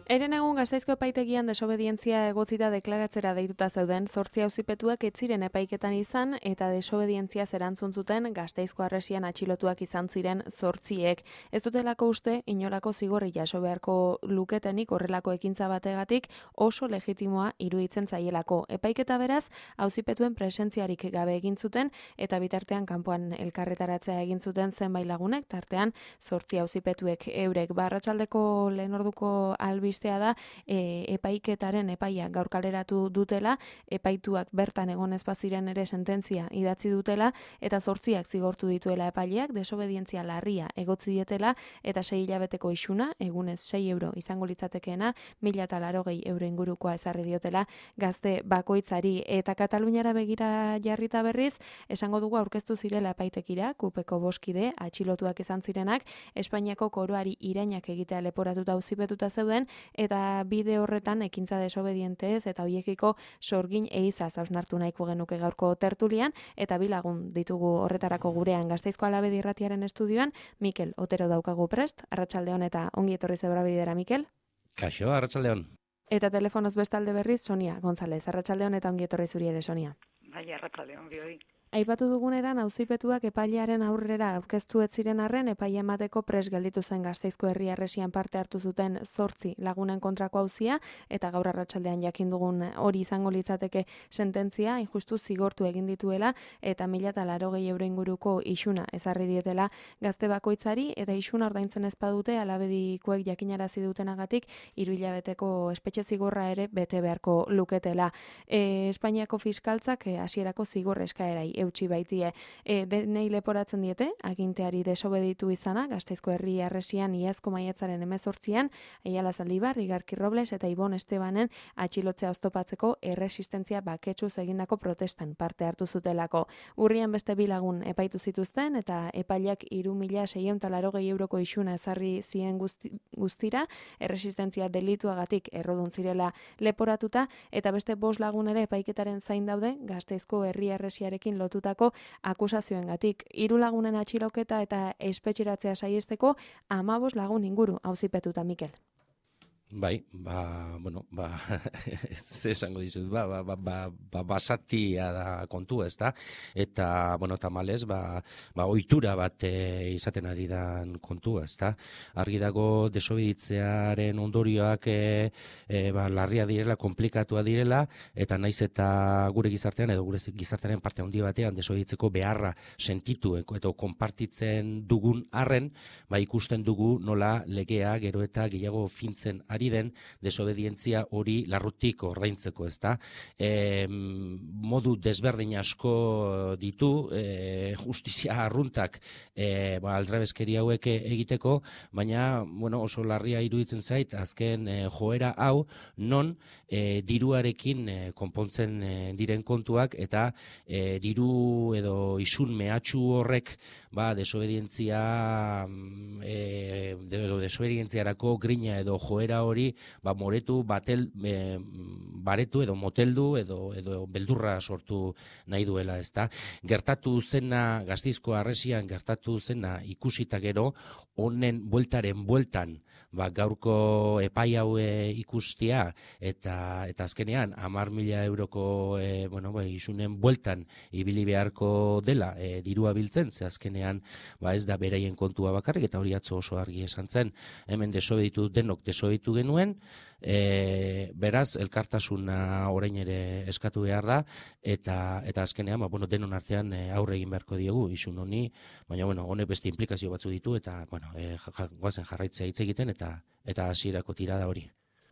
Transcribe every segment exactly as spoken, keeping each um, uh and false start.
Eren egun Gasteizko epaitegian desobedientzia egotzita deklaratzera deituta zeuden zortzi auzipetuak ez ziren epaiketan izan eta desobedientziaz erantzun zuten Gasteizko harresian atxilotuak izan ziren zortziek. Ez dutelako uste inolako zigorri jaso beharko luketenik horrelako ekintza bategatik oso legitimoa iruditzen zaielako. Epaiketa beraz auzipetuen presentziarik gabe egin zuten eta bitartean kanpoan elkarretaratzea egin zuten zenbait lagunek, tartean zortzi auzipetuek eurek. Arratsaldeko lehen orduko albiz da e, epaiketaren epaia gaur kaleratu dutela, epaituak bertan egon ez baziren ere sententzia idatzi dutela eta zortziak zigortu dituela epaileak, desobedientzia larria egotzi dietela eta sei hilabeteko isuna, egunez sei euro izango litzatekeena, mila eta larogei euro ingurukoa ezarri diotela gazte bakoitzari. Eta Kataluniara begira jarrita berriz, esango dugu aurkeztu zirela epaitekira, kupeko boskide, atxilotuak izan zirenak, Espainiako koroari irainak egitea leporatuta auzipetuta zeuden, eta bide horretan ekintza desobedientez eta hoiekiko sorgin eizaz hausnartu nahiko genuke gaurko tertulian, eta bi lagun ditugu horretarako gurean Gasteizko Alabedi Irratiaren estudioan. Mikel Otero daukagu prest, arratsaldeon eta ongi etorri Zebrabidera, Mikel. Kaixo, arratsaldeon. Eta telefonoz bestalde berriz Sonia González, arratsaldeon eta ongi etorri zuri ere, Sonia. Bai, arratsaldeon bioi. Aipatu duguneran auzipetuak epailearen aurrera aurkeztu ez ziren arren epaia emateko pres gelditu zen Gasteizko Herri Harresian parte hartu zuten zortzi lagunen kontrako auzia eta gaur arratsaldean jakin dugun hori izango litzateke sententzia injustu zigortu egin dituela eta mila eta larogei euro inguruko isuna ezarri dietela gazte bakoitzari eta isuna ordaintzen ez badute Alabedikoek jakinarazi dutenagatik hiru hilabeteko espetxe zigorra ere bete beharko luketela. E, Espainiako fiskaltzak hasierako e, zigor eskaerai eutsi baitie. E, denei leporatzen diete, aginteari desobeditu izana, Gasteizko Herri Harresian iazko maiatzaren hemezortzian, Aiala Zaldibar, Igarki Robles eta Ibon Estebanen atxilotzea oztopatzeko erresistentzia baketsuz egindako protestan parte hartu zutelako. Urrian beste bi lagun epaitu zituzten eta epaileak hiru mila seiehun eta laurogei euroko isuna ezarri zien guzti, guztira, erresistentzia delituagatik errodun zirela leporatuta eta beste bost lagun ere epaiketaren zain daude Gasteizko Herri Harresiarekin lotutako akusazioengatik. Hiru lagunen atxiloketa eta espetxeratzea saihesteko hamabost lagun inguru auzipetuta, Mikel. Bai, ba, bueno, ba, ez esango dizut, ba, ba, ba, ba, ba basatia da kontua, ez da? Eta, bueno, tamalez, ba, ba, ohitura bat e, izaten ari dan kontua, ez da? Argi dago desobeditzearen ondorioak e, e, ba, larria direla, komplikatua direla, eta naiz eta gure gizartean, edo gure gizartearen parte handi batean desobeditzeko beharra sentitu, eta konpartitzen dugun arren, ba, ikusten dugu nola legea gero eta gehiago fintzen ari den desobedientzia hori larrutik ordaintzeko, ezta? E, modu desberdin asko ditu, e, justizia arruntak e, ba, aldrebeskeri hauek egiteko, baina bueno, oso larria iruditzen zait, azken e, joera hau non e, diruarekin e, konpontzen e, diren kontuak eta e, diru edo isun mehatxu horrek ba, desobedientzia e, edo desobedientziarako grina edo joera hori ba, moretu, batel, e, baretu edo moteldu edo, edo beldurra sortu nahi duela, ezta. Gertatu zena, Gasteizko Harresian gertatu zena ikusita gero, honen bueltaren bueltan, ba, gaurko epai hau e, ikustia eta eta azkenean hamar mila euroko e, bueno, ba, isunen bueltan ibili beharko dela e, dirua biltzen, ze azkenean ba, ez da beraien kontua bakarrik, eta hori atzo oso argi esan zen, hemen desobeditu denok desobeditu genuen, e, beraz elkartasuna orain ere eskatu behar da, eta eta azkenean ba, bueno, denon artean e, aurre egin beharko diegu isun honi, baina bueno, honek beste implikazio batzu ditu eta bueno, e, goazen jarraitzea hitz egiten eta eta hasierako tirada hori.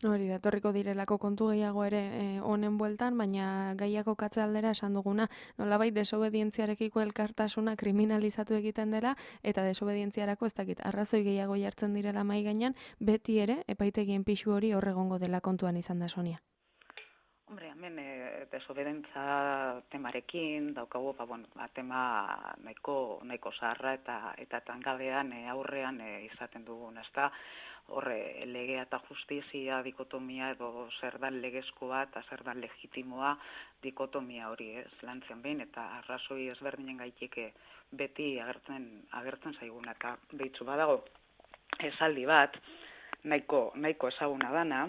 Hori da, etorriko direlako kontu gehiago ere honen bueltan, baina gaiako katze aldera esan duguna, nolabait desobedientziarekiko elkartasuna kriminalizatu egiten dela, eta desobedientziarako ez dakit, arrazoi gehiago jartzen direla mai gainean, beti ere, epaitegien pixu hori horregongo dela kontuan izan da, Sonia. Hombre, hemen e, desobedentza temarekin daukagu, ba, bueno, ba, tema nahiko, nahiko zaharra eta eta tangabean e, aurrean e, izaten dugun, ezta? Horre, legea eta justizia dikotomia edo zer da legezkoa eta zer da legitimoa dikotomia hori, ez, lantzen behin, eta arrazoi ezberdinen gaitik beti agertzen, agertzen zaiguna, eta behitzu badago esaldi bat, nahiko, nahiko ezaguna dana,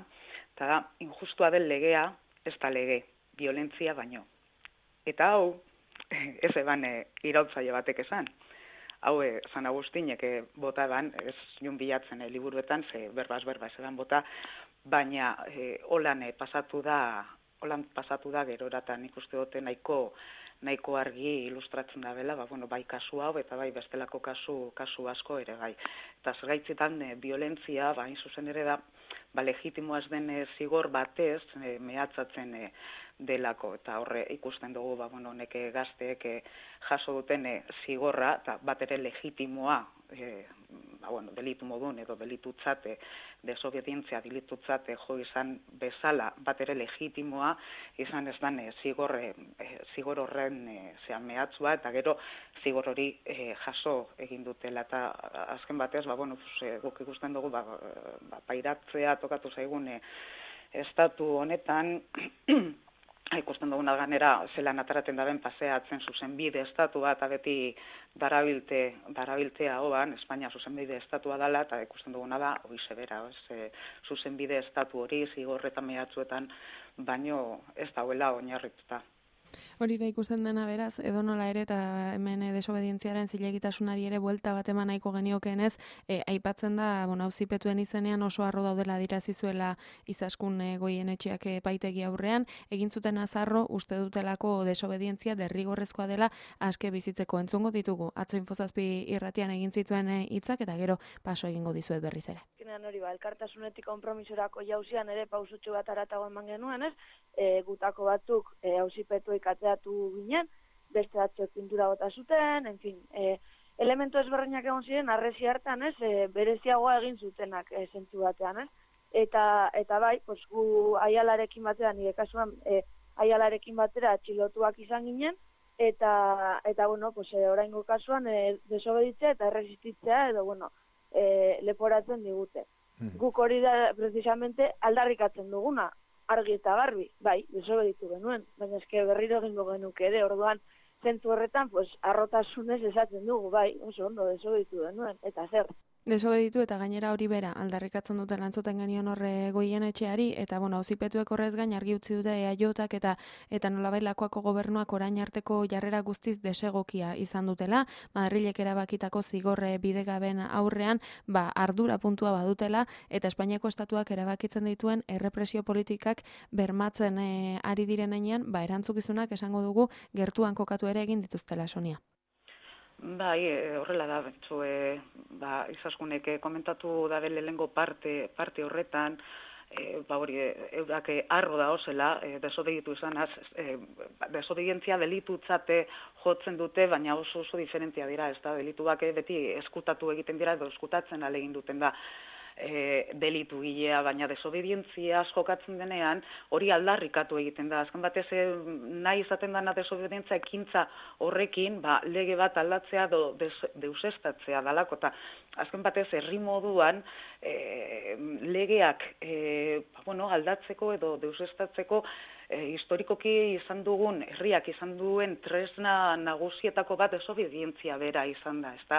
eta da, injustua den legea, ez da lege, violentzia baino. Eta hau, ez eban e, irautzaile batek esan. Hau, e, San Agustinek e, bota eban, ez jun bilatzen e, liburuetan, ze berbaz berba ez eban bota, baina e, holan e, pasatu da, holan pasatu da geroratan ikuste dute nahiko, nahiko argi ilustratzen da bela, ba, bueno, bai kasu hau eta bai bestelako kasu, kasu asko ere bai. Eta zergaitzetan e, violentzia, ba, hain zuzen ere da, ba, legitimoa ez den e, zigor batez e, mehatzatzen e, delako, eta horre ikusten dugu, ba, bueno, neke gazteek e, jaso duten e, zigorra, eta bat ere legitimoa, e, ba, bueno, delitu modun edo delitutzate, desobedientzia delitutzate jo izan bezala, bat ere legitimoa, izan ez dan e, zigor, e, zigor horren e, zean mehatzua, eta gero zigor hori e, jaso egin dutela, eta azken batez, ba, bueno, e, guk ikusten dugu, ba, ba, pairatzea tokatu zaigun e, estatu honetan, ikusten duguna ganera zelan ataraten daben paseatzen zuzenbide estatua eta beti darabilte, darabiltea hoan, Espainia zuzenbide estatua dela, eta ikusten duguna da, hoize bera, ez, zuzenbide estatu hori zigorretan mehatzuetan, baino ez dauela oinarrituta. Hori da ikusten dena beraz, edo nola ere, eta hemen e, desobedientziaren zilegitasunari ere buelta bat eman nahiko geniokenez, e, aipatzen da, bueno, auzipetuen izenean oso arro daudela dirazi zuela Izaskun e, Goienetxeak epaitegi aurrean, egin zuten azarro uste dutelako desobedientzia derrigorrezkoa dela aske bizitzeko. Entzungo ditugu, atzo Infozazpi irratian egin zituen hitzak eta gero paso egingo dizuet berriz ere. Hori ba, elkartasunetik konpromisorako jauzian ere pausutxo bat aratago eman genuen, ez? E, gutako batzuk e, auzipetuek atzeatu ginen, beste batzuk pintura bota zuten, en fin, e, elementu ezberdinak egon ziren, arrezi hartan, ez, e, bereziagoa egin zutenak e, zentzu batean, ez? Eta, eta bai, pues, gu aialarekin batera, nire kasuan, e, aialarekin batera atxilotuak izan ginen, eta, eta bueno, pues, e, oraingo kasuan, e, desobeditzea eta erresistitzea, edo, bueno, E, leporatzen digute. Mm. Guk hori da, precisamente, aldarrikatzen duguna, argi eta garbi, bai, desobeditu genuen, baina eske berriro egingo genuke ere, orduan, zentzu horretan, pues, arrotasunez esaten dugu, bai, oso ondo desobeditu genuen, eta zer. Desobeditu eta gainera hori bera aldarrikatzen duten lantzuten genion horre Goienetxeari, eta bueno, auzipetuek horrez gain argi utzi dute E A Jotak eta eta nolabait Lakuako gobernuak orain arteko jarrera guztiz desegokia izan dutela, Madrilek erabakitako zigorre bidegaben aurrean, ba ardura puntua badutela eta Espainiako estatuak erabakitzen dituen errepresio politikak bermatzen e, ari direnean, ba erantzukizunak esango dugu gertuan kokatu ere egin dituztela, Sonia. Bai, horrela da, betxo, e, ba, Izaskunek komentatu da lehengo parte, parte horretan, e, ba hori, eurak arro da osela, e, desobeditu izanaz, e, desobedientzia delitutzate jotzen dute, baina oso oso diferentia dira, ez da, delituak beti eskutatu egiten dira, edo eskutatzen alegin duten da, E, delitu gilea, baina desobedientzia jokatzen denean, hori aldarrikatu egiten da. Azken batez, e, nahi izaten dana desobedientzia ekintza horrekin, ba, lege bat aldatzea do, des, deusestatzea dalako, eta azken batez, herri moduan, e, legeak e, ba, bueno, aldatzeko edo deusestatzeko, E, historikoki izan dugun, herriak izan duen tresna nagusietako bat desobedientzia bera izan da, ezta?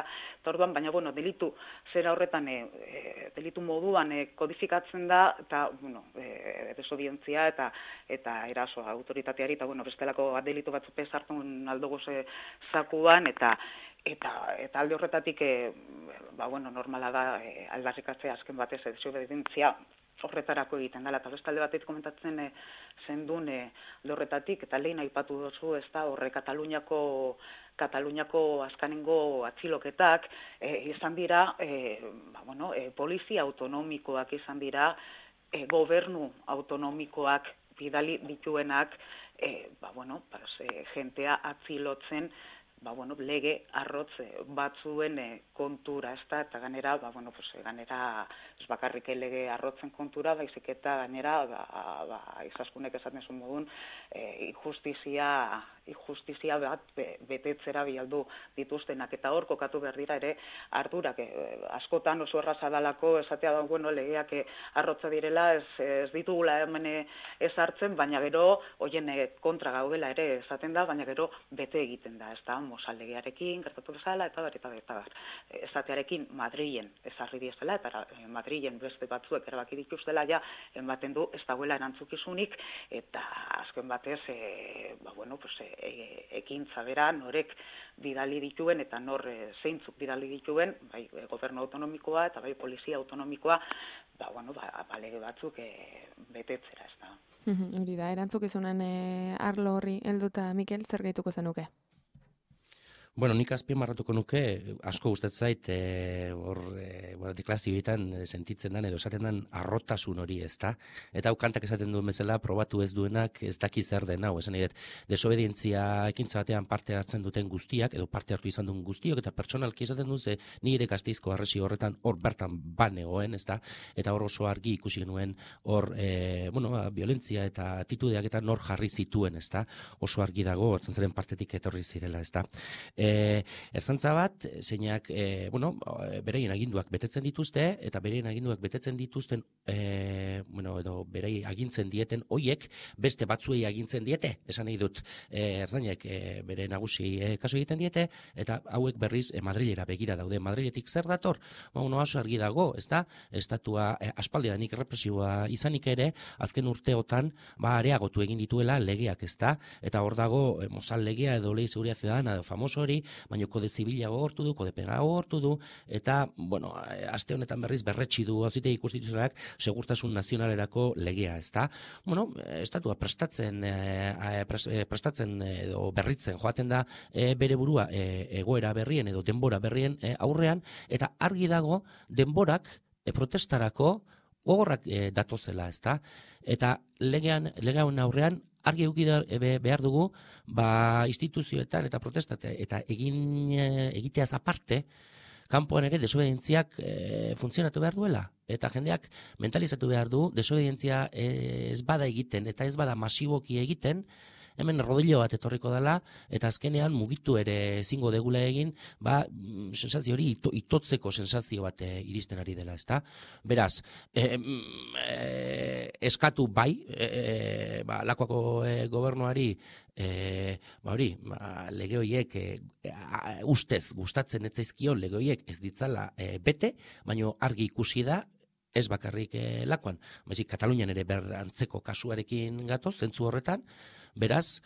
Orduan, baina, bueno, delitu zera horretan, e, e, delitu moduan e, kodifikatzen da, eta, bueno, e, desobedientzia eta eta eraso autoritateari, eta, bueno, bestelako delitu batzuk sartun aldugu ze zakuan, eta eta eta alde horretatik, e, ba, bueno, normala da e, aldarrikatzea azken batez desobedientzia horretarako egiten dela, eta bestalde batetik komentatzen e, zendun e, horretatik, eta lehen aipatu dozu, ez da, horre Kataluniako, Kataluniako azkanengo atxiloketak, e, izan dira, e, ba, bueno, e, polizia autonomikoak izan dira, e, gobernu autonomikoak bidali dituenak, e, ba, bueno, pas, e, jentea atzilotzen, ba, bueno, lege arrotz batzuen e, kontura, ez da, eta ganera, ba, bueno, pues, ganera, ez bakarrik lege arrotzen kontura, baizik eta ganera, ba, ba, Izaskunek esaten zuen modun, e, injustizia, injustizia bat be, betetzera bialdu dituztenak, eta hor kokatu behar dira ere ardurak, e, askotan oso erraza dalako, esatea da, bueno, legeak e, arrotza direla, ez, ez ditugula hemen ez hartzen, baina gero, hoien e, kontra gaudela ere esaten da, baina gero bete egiten da, ez da, mozaldegiarekin, gertatu bezala, eta bar, eta bar, eta bar. Esatearekin Madrilen ezarri diezela, eta Madrilen beste batzuek erabaki dituztela, ja, ematen du ez dagoela erantzukizunik, eta azken batez, e, ba, bueno, pues, e, ekintza bera norek bidali dituen, eta nor e, zeintzuk bidali dituen, bai, gobernu autonomikoa, eta bai, polizia autonomikoa, ba, bueno, ba, balege batzuk e, betetzera, ez da. Hori da, erantzukizunen e, arlo horri helduta, Mikel, zer gehituko zenuke? Bueno, nik azpimarratuko nuke, asko gustatzen zait, e, hor, e, bueno, deklarazioetan sentitzen den edo esaten den arrotasun hori, ezta? Eta hau kantak esaten duen bezala, probatu ez duenak ez daki zer den hau, esan edo, desobedientzia ekintza batean parte hartzen duten guztiak, edo parte hartu izan duen guztiok, eta pertsonalki esaten duen, ze ni ere Gasteizko harresi horretan hor bertan banegoen, ezta? Eta hor oso argi ikusi genuen hor, e, bueno, violentzia eta atitudeak eta nor jarri zituen, ezta? Oso argi dago, ertzaintzaren partetik etorri zirela, ezta? E, ertzantza bat, zeinak, e, bueno, bereien aginduak betetzen dituzte, eta bereien aginduak betetzen dituzten, e, bueno, edo berei agintzen dieten, hoiek beste batzuei agintzen diete, esan nahi dut, e, ertzainek e, bere nagusi e, kasu egiten diete, eta hauek berriz e, Madrilera begira daude. Madriletik zer dator? Ba, uno oso argi dago, ez da? Estatua e, aspaldidanik represioa izanik ere, azken urteotan, ba, areagotu egin dituela legeak, ez da? Eta hor dago, e, Mozal legea edo Lei Seguridad Ciudadana edo famoso hori, baina kode zibila gogortu du, kode penala gogortu du, eta, bueno, aste honetan berriz berretsi du auzitegi konstituzionalak segurtasun nazionalerako legea, ezta? Bueno, estatua prestatzen, e, prestatzen edo berritzen joaten da e, bere burua e, egoera berrien edo denbora berrien e, aurrean, eta argi dago denborak e, protestarako gogorrak e, datozela, ezta? Eta legean, legean aurrean argi eduki behar dugu, ba, instituzioetan eta protestatea eta egin egiteaz aparte, kanpoan ere desobedientziak e, funtzionatu behar duela. Eta jendeak mentalizatu behar du, desobedientzia e, ez bada egiten eta ez bada masiboki egiten, hemen rodillo bat etorriko dela, eta azkenean mugitu ere ezingo degula egin, ba, sensazio hori ito, itotzeko sensazio bat e, iristen ari dela, ezta? Beraz, e, e, eskatu bai, e, ba, Lakuako e, gobernuari, e, ba hori, ba, lege horiek e, a, ustez gustatzen etzaizkio lege horiek ez ditzala e, bete, baino argi ikusi da, ez bakarrik e, Lakuan, baizik Katalunian ere berantzeko kasuarekin gatoz, zentzu horretan, beraz,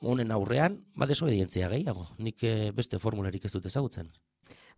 honen aurrean, ba desobedientzia gehiago, nik e, beste formularik ez dut ezagutzen.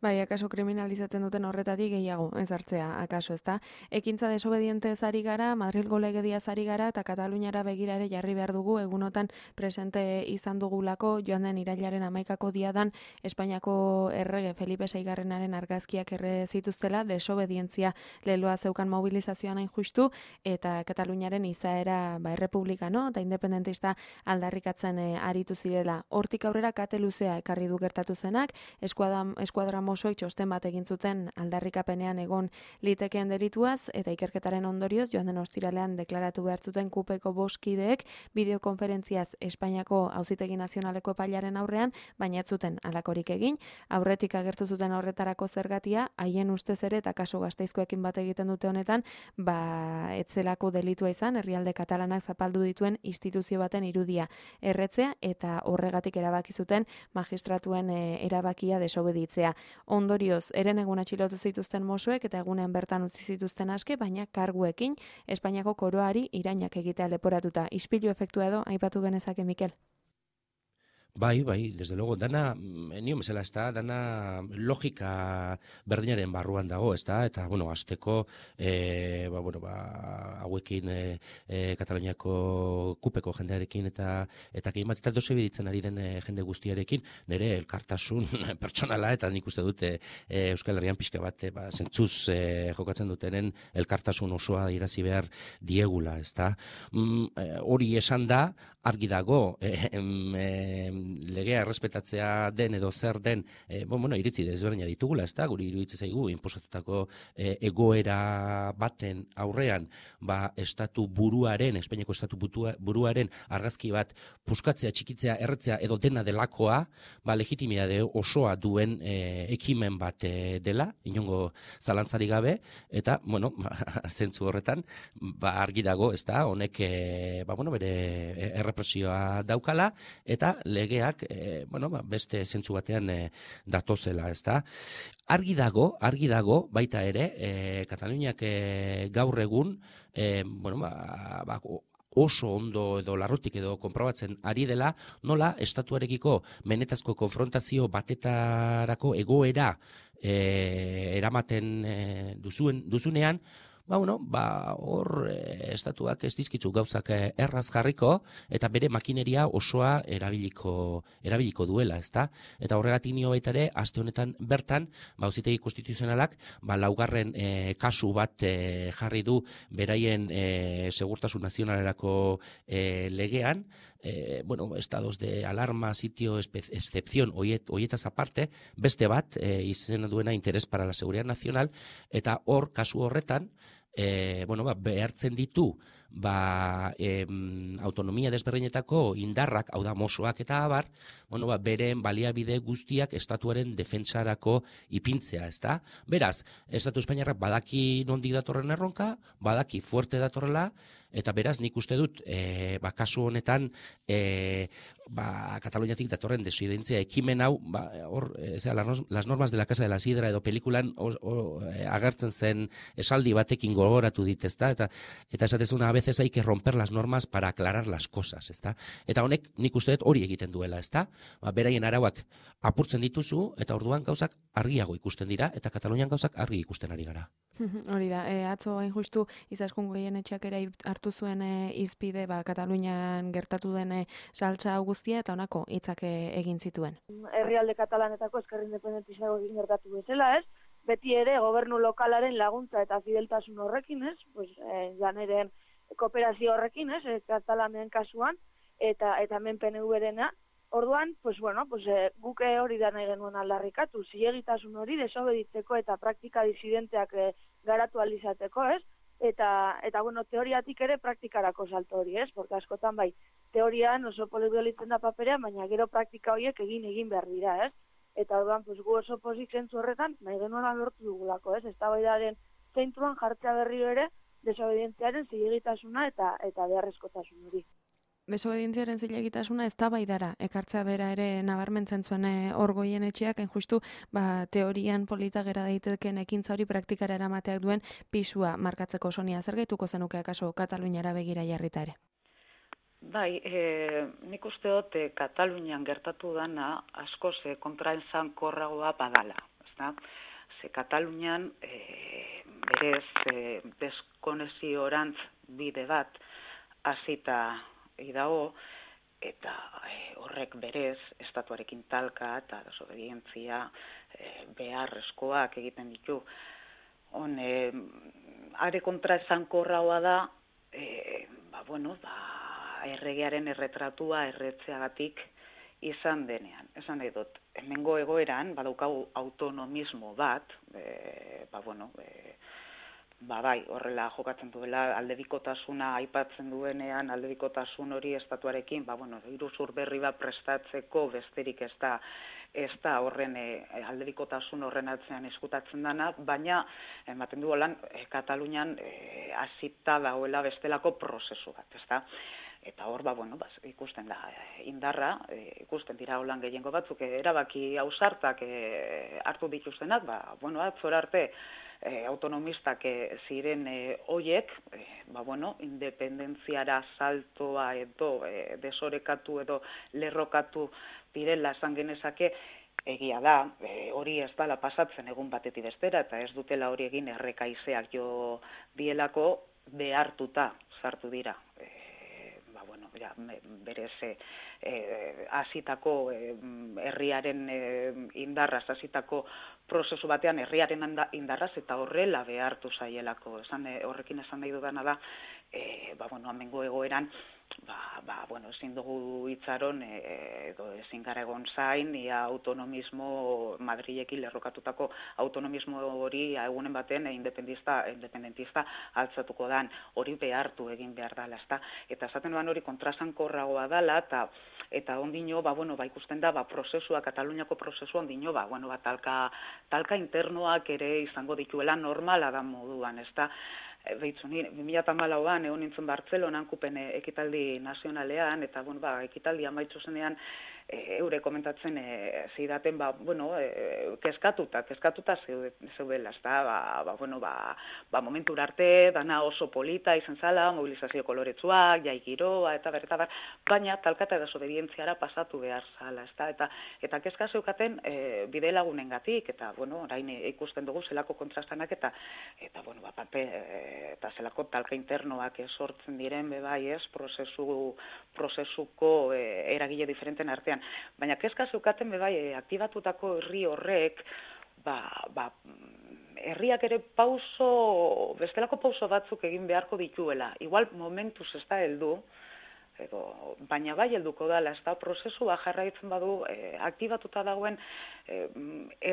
Bai, akaso kriminalizatzen duten horretatik gehiago ez hartzea, akaso, ezta? Ekintza desobedientez ari gara, Madrilgo legediaz ari gara, eta Kataluniara begirare jarri behar dugu, egunotan presente izan dugulako, joan den irailaren hamaikako diadan, Espainiako errege Felipe seigarrenaren argazkiak erre zituztela, desobedientzia leloa zeukan mobilizazioan hain justu, eta Kataluniaren izaera ba, errepublikano, eta independentista aldarrikatzen e, aritu zirela. Hortik aurrera kate luzea ekarri du gertatu zenak, eskuadra, eskuadra osoek txosten bat egin zuten aldarrikapenean egon litekeen delituaz, eta ikerketaren ondorioz joan den ostiralean deklaratu behar zuten kupeko boskideek bideokonferentziaz Espainiako Auzitegi Nazionaleko epailaren aurrean, baina ez zuten halakorik egin, aurretik agertu zuten horretarako zergatia, haien ustez ere eta kasu Gasteizkoekin bat egiten dute honetan, ba etzelako delitua izan, herrialde katalanak zapaldu dituen instituzio baten irudia erretzea, eta horregatik erabaki zuten magistratuen e, erabakia desobeditzea. Ondorioz, eren egun atxilotu zituzten Mosuek eta egunean bertan utzi zituzten aske, baina karguekin Espainiako koroari irainak egitea leporatuta. Ispilu efektua edo, aipatu genezake, Mikel? Bai, bai, desde luego, dana, nio bezala, ez da, dana logika berdinaren barruan dago, ez da, eta, bueno, azteko, e, ba, bueno, ba, hauekin e, e, Kataluniako kupeko jendearekin eta eta gehi bat, eta dosebiditzen ari den e, jende guztiarekin, nire elkartasun pertsonala, eta nik uste dute e, Euskal Herrian pixka bat, e, ba, zentzuz e, jokatzen dutenen elkartasun osoa irazi behar diegula, ez da. Mm, e, hori esan da, argi dago, e, e, legea errespetatzea den edo zer den, e, bon, bueno, iritzi desberdina ditugula, ez da, guri iruditzen zaigu, inposatutako e, egoera baten aurrean, ba, estatu buruaren, Espainiako estatu buruaren argazki bat puskatzea, txikitzea, erretzea edo dena delakoa, ba, legitimidade osoa duen e, ekimen bat e, dela, inongo zalantzari gabe, eta, bueno, ba, zentzu horretan, ba, argi dago, ez da, honek, e, ba, bueno, bere errepresioa daukala, eta legeak e, bueno, ba, beste zentzu batean e, datozela, ezta? Argi dago, argi dago, baita ere, e, Kataluniak e, gaur egun, e, bueno, ba, ba, oso ondo edo larrutik edo konprobatzen ari dela, nola estatuarekiko benetazko konfrontazio batetarako egoera e, eramaten e, duzuen, duzunean, ba, bueno, ba, hor e, estatuak ez dizkitzu gauzak e, erraz jarriko eta bere makineria osoa erabiliko, erabiliko duela, ezta? Eta horregatik nio baita ere, aste honetan bertan, ba, auzitegi konstituzionalak, ba, laugarren e, kasu bat e, jarri du beraien e, segurtasun nazionalerako e, legean, eh, bueno, estados de alarma, sitio, excepción, oiet, oietaz aparte, beste bat, eh, izena duena interes para la seguridad nacional, eta hor, kasu horretan, eh, bueno, ba, behartzen ditu, ba, em, autonomia desberdinetako indarrak, hau da mosoak eta abar, bueno, ba, beren baliabide guztiak estatuaren defentsarako ipintzea, ezta? Beraz, Estatu Espainiarrak badaki nondik datorren erronka, badaki fuerte datorrela, eta beraz, nik uste dut, e, ba, kasu honetan, e, ba, Kataluniatik datorren desidentzia ekimen hau, ba, hor, e, zera, las normas de la Casa de la Sidra edo pelikulan o, o, e, agertzen zen esaldi batekin gogoratu dit, ezta? Eta, eta esatezuna, a veces hay que romper las normas para aclarar las cosas, ezta? Eta honek, nik uste dut hori egiten duela, ezta? Ba, beraien arauak apurtzen dituzu, eta orduan gauzak argiago ikusten dira, eta Katalunian gauzak argi ikusten ari gara. Hori da, e, atzo hain justu Izaskun Goienetxeak ere hartu zuen e, izpide, ba, Katalunian gertatu den e, saltza guztia, eta honako hitzak e, egin zituen. Herrialde katalanetako ezker independentista egin gertatu bezala, ez? Beti ere gobernu lokalaren laguntza eta fideltasun horrekin, ez? Pues, e, janeren kooperazio horrekin, ez? E, Katalanen kasuan, eta eta hemen P N V-rena. Orduan, pues bueno, pues eh, guke hori da nahi genuen aldarrikatu, zilegitasun hori desobeditzeko eta praktika disidenteak eh, garatu alizateko, ez? Eta, eta bueno, teoriatik ere praktikarako salto hori, ez? Porque askotan bai, teorian oso polibolitzen da paperean, baina gero praktika horiek egin egin behar dira, ez? Eta orduan, pues gu oso pozik zentzu horretan, nahi genuen lortu dugulako, ez? Eztabaidaren zentruan jartzea berriro ere, desobedientziaren zilegitasuna eta, eta beharrezkotasun hori. Desobedientziaren zilegitasuna ez da baidara, ekartzea bera ere nabarmentzen zuen hor Goienetxeak, hain justu, ba, teorian polita gera daiteken ekintza hori praktikara eramateak duen pisua markatzeko. Sonia, zer gaituko zenuke akaso Kataluniara begira jarrita ere? Bai, e, nik uste dut e, Katalunian gertatu dana askoz e, kontraesankorragoa badala, ezta? Ze Katalunian e, berez e, deskonexioarantz bide bat hasita idago, eta e, horrek berez estatuarekin talka eta desobedientzia e, beharrezkoak egiten ditu. On, e, are kontra esankorragoa da, e, ba, bueno, ba, erregearen erretratua erretzeagatik izan denean. Esan nahi dut, hemengo egoeran, badaukagu autonomismo bat, e, ba, bueno, e, ba bai, horrela jokatzen duela aldebikotasuna aipatzen duenean, aldebikotasun hori estatuarekin, ba bueno, iruzur berri bat prestatzeko besterik ez da, ez da horren e, aldebikotasun horren atzean eskutatzen dana, baina ematen du holan e, Katalunian e, hasita dagoela bestelako prozesu bat, ez da? Eta hor, ba, bueno, ba, ikusten da indarra, e, ikusten dira holan gehiengo batzuk, e, erabaki ausartak e, hartu dituztenak, ba, bueno, atzora arte, E, autonomistak e, ziren e, oiek, e, ba, bueno, independentziara saltoa edo e, desorekatu edo lerrokatu direla esan genezake, egia da, e, hori ez dala pasatzen egun batetik bestera, eta ez dutela hori egin errekaizeak jo dielako behartuta sartu dira. E, ba, bueno, ja, berez e, hasitako e, herriaren e, indarraz hasitako prozesu batean herriaren indarraz eta horrela behartu zaielako. Esan, horrekin esan nahi dudana da, e, ba, bueno, amengo egoeran, ba, ba, bueno, ezin dugu itzaron, e, edo ezin gara egon zain, ia autonomismo, Madrilekin lerrokatutako autonomismo hori egunen baten e, independentista, independentista altzatuko dan, hori behartu egin behar dala, ezta? Eta esaten duan hori kontrasankorragoa dala, eta eta ondino, ba, bueno, ba, ikusten da, ba, prozesua, Kataluniako prozesua ondino, ba, bueno, ba, talka, talka internoak ere izango dituela normala da moduan, ezta? Beitzu, ni bi mila hamalauan egon nintzen Bartzelonan kupen ekitaldi nazionalean, eta bueno, ba, ekitaldi amaitzu zenean e, eure komentatzen e, zidaten, ba, bueno, e, kezkatuta, kezkatuta zeudela, ezta, ba, ba, bueno, ba, ba, momentura arte, dana oso polita izan zala, mobilizazio koloretsuak, jai giroa, eta ber, eta ber, baina talka eta desobedientziara pasatu behar zala, ezta, eta, eta kezka zeukaten e, bide lagunengatik, eta, bueno, orain ikusten dugu zelako kontrastanak, eta, eta bueno, ba, pape, eta zelako talka internoak sortzen diren, bebai, ez, prozesu, prozesuko e, eragile diferenten artean. Baina kezka zeukaten, bebai, e, aktibatutako herri horrek, ba, ba, herriak ere pauso, bestelako pauso batzuk egin beharko dituela. Igual momentuz ez da heldu, edo, baina bai helduko dela, ez da prozesua jarraitzen badu, e, aktibatuta dagoen e,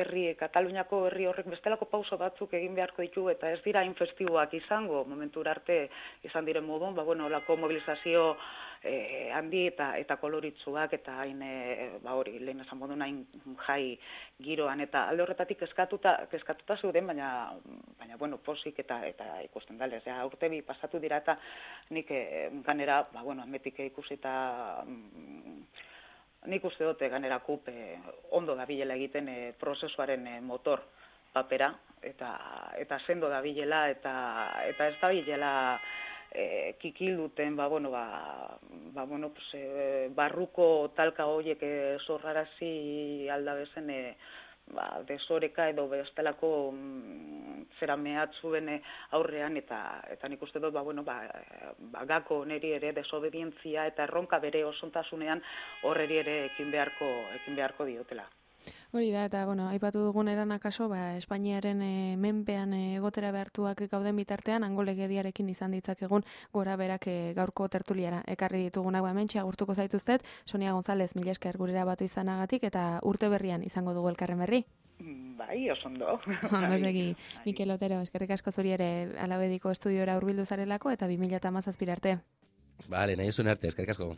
herri, Kataluniako herri horrek bestelako pauso batzuk egin beharko ditu, eta ez dira infestiboak izango, momentura arte izan diren modun, ba, bueno, olako mobilizazio e, handi eta eta koloritzuak, eta hain, e, ba hori, lehen esan modun hain jai giroan, eta alde horretatik kezkatuta, kezkatuta zeuden, baina, baina bueno, posik eta eta ikusten dala, ez ja, urte bi pasatu dira, eta nik e, ganera, ba, bueno, ametik ikusita, mm, nik uste dute ganera kup e, ondo dabilela egiten e, prozesuaren e, motor papera, eta, eta sendo dabilela, eta, eta ez dabilela e, kikilduten, ba, bueno, ba, ba, bueno, pues, e, barruko talka horiek e, zorrarazi aldabezen, e, ba, desoreka edo bestelako mm, zera mehatzuen aurrean, eta eta nik uste dut, ba, bueno, ba, ba, gako neri ere desobedientzia eta erronka bere osontasunean horreri ere ekin beharko, ekin beharko diotela. Hori da, eta, bueno, aipatu dugun eran akaso, ba, Espainiaren e, menpean e, egotera behartuak gauden bitartean, hango legediarekin izan ditzakegun gora berak e, gaurko tertuliara ekarri ditugunak, ba, mentxe agurtuko zaituztet, Sonia González, mila esker gurera batu izanagatik, eta urte berrian izango dugu elkarren berri. Bai, oso ondo. Ondo segi, Mikel Otero, eskerrik asko zuri ere Alabediko estudiora hurbildu zarelako, eta bi mila hamazazpi arte. Bale, nahi zuen arte, eskerrik asko.